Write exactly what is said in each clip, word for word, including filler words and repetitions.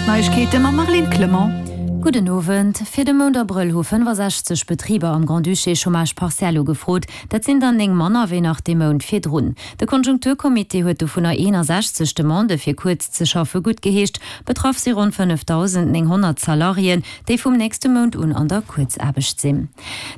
D'Neiegkeete mam Marlene Clement. Gudden Owend. Fir de Mount Abrëll hu fënnefasechzeg Betriber am Grand-Duché Chômage partiel ugefrot. Dat sinn der néng manner wéi nach dee Mount virdrun. De Konjunkturcomité huet dovunner eenasechzeg Demandë fir kuerz ze schaffe guttgeheescht. Betraff si ronn fënnefdausendnénghonnert Salariéen, déi vum nächste Mount un an der Kuerzaarbecht sinn.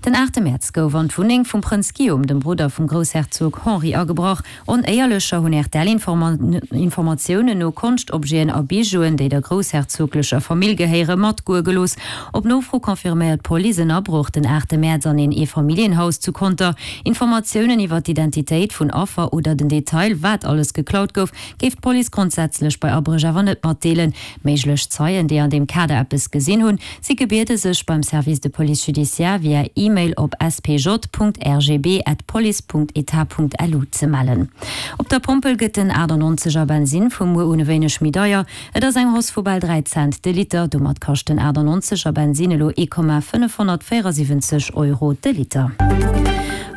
Den aachte Mäerz gouf an d'Wunneng vum Prënz Guillaume, dem Brudder vum Groussherzog Henri, agebrach. Onéierlecher hunn R T L-Informatiounen no Konschtobjeten a Bijouen, déi der groussherzoglecher Famill gehéieren, matgoe gelooss. Op Nofro confirméiert d'Police en Abroch den aachte Mäerz an een Eefamilljenhaus zu Conter. Informatiounen iwwer d'Identitéit vun Affer oder den Detail, wat alles geklaut gouf, géif d'Police grondsätzlech bei Abréch awer net matdeelen. Méiglech Zeien, déi an deem Kader eppes gesinn hunn, si gebiede sech beim Service de Police Judiciaire via E-Mail op spj.rgb@police.etat.lu ze mellen. Op der Pompel gëtt den aachtannonzeg er Bensinn vu muer un e wéineg méi deier. Et ass eng Hausse vu bal dräi Cent de Liter. Domat kascht den aachtannonzeg er Bensinn elo ee Komma fënnefhonnertvéierasiwwenzeg Euro de Liter.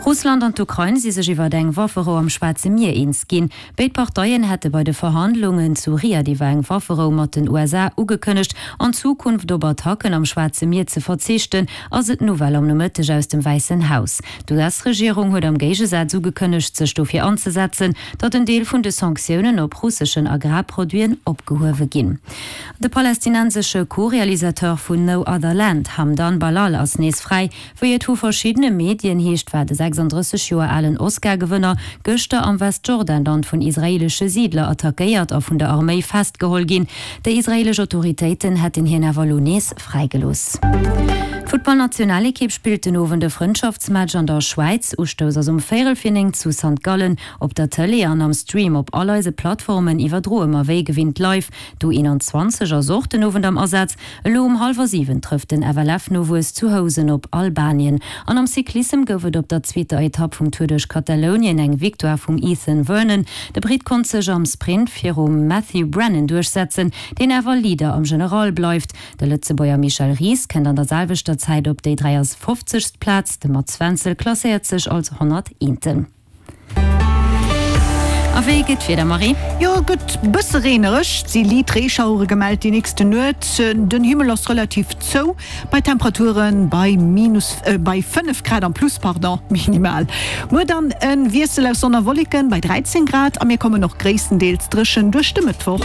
Russland an d'Ukrain si sech iwwer eng Wafferou am Schwaarze Mier eens ginn. Béid Parteien hätte bei de Verhandlungen zu Riad iwwer eng Wafferou mat den U S A ugekënnegt, an Zukunft op Attacken am Schwaarze Mier ze verzichten, ass et d'Nouvelle am Nomëtteg aus dem Wäissen Haus. D'U S-Regierung huet am Géigesaz ugekënnegt, sech dofir anzesetzen, datt en Deel vun de Sanktiounen op russeschen Agrarproduiten opgehuewe ginn. De palästinensesche Co-Realisateur vun No Other Land, Hamdan Ballal, ass nees fräi. Wéi et vu verschiddene Medien heescht, war de sechsanddrësseg Joer alen Oscar-Gewënner gëschter am Westjordanland vun israeelesche Siidler attackéiert a vun der Arméi festgeholl ginn. Déi israeelesch Autoritéiten hätten hien awer elo nees fräigelooss. D'Futtballnationalekipp spillt den Owend e Frëndschaftsmatch an der Schwäiz. Ustouss ass um véierel vir néng zu Sankt Gallen. Op der Tëlee an am Stream op all eise Plattformen iwwerdroe mer wéi gewinnt live. D'U eenanzwanzeg ass och den Owend am Asaz. Elo um hallwer siwen trëfft den F L F-Nowuess zu Housen op Albanien. An am Cyclissem gouf et op der zweeter Etapp vum Tour duerch Katalounien eng Victoire vum Ethan Vernon. De Britt konnt sech am Sprint virum Matthew Brennan duerchsetzen, deen awer Leader am General bleift. De Lëtzebuerger Michel Ries kënnt an der selwechter Zäit op déi dräiafofzegst Plaz, de Mats Wenzel klasséiert sech als honnerteenten. A wéi gëtt d'Wieder, Marie? Jo, gëtt bësse reenereg, si liit Reeschauere gemellt déi nächsten Nuet. Den Himmel ass relativ zou bei Temperature bei minus äh, bei fënnef Grad am Plus, pardon, minimal. Muer dann e Wiessel aus Sonn a Wolleken bei dräizéng Grad a mir kommen och gréisstendeels dréchen duerch de Mëttwoch.